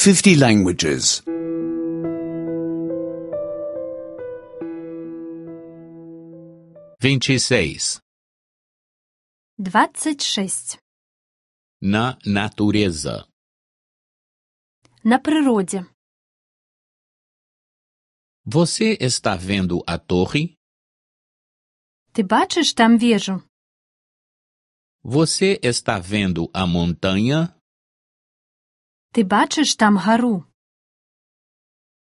50 languages. 26. 26. Na natureza. На природе. Você está vendo a torre? Ты бачыш там вежу? Você está vendo a montanha? Ты бачыш там гару?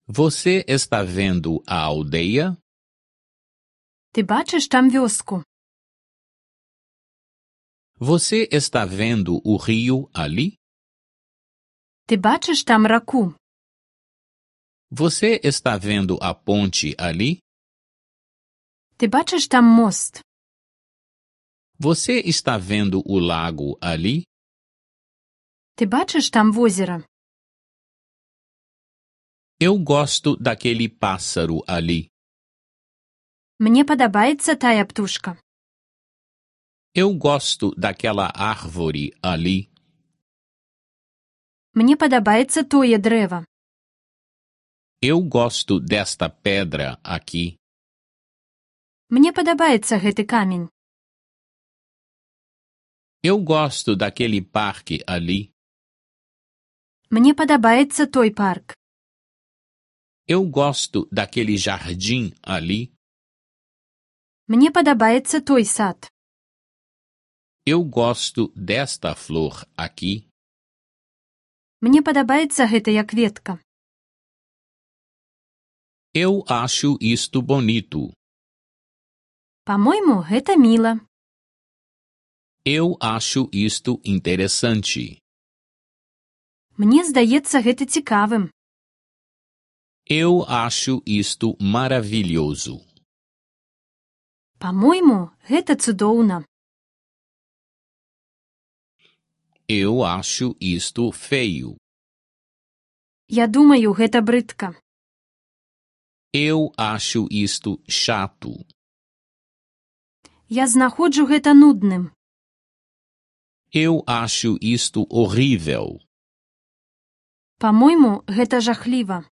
Você está vendo a aldeia? Ты бачыш там вёску? Você está vendo o rio ali? Ты бачыш там раку? Você está vendo a ponte ali? Ты бачыш там мост? Você está vendo o lago ali? Ты бачыш там возера? Eu gosto daquele pássaro ali. Мне падабаецца тая птушка. Eu gosto daquela árvore ali. Мне падабаецца тое дрэва. Eu gosto desta pedra aqui. Мне падабаецца гэты камень. Eu gosto daquele parque ali. Мне падабаецца той парк. Eu gosto daquele jardim ali. Мне падабаецца той сад. Eu gosto desta flor aqui. Мне падабаецца гэтая кветка. Eu acho isto bonito. Па-мойму, гэта міла. Eu acho isto interessante. Мне здаецца гэта цікавым. Eu acho isto maravilhoso. Па-мойму, гэта цудоўна. Eu acho isto feio. Я думаю, гэта брыдка. Eu acho isto chato. Я знаходжу гэта нудным. Eu acho isto horrível. Па-мойму, гэта жахліва.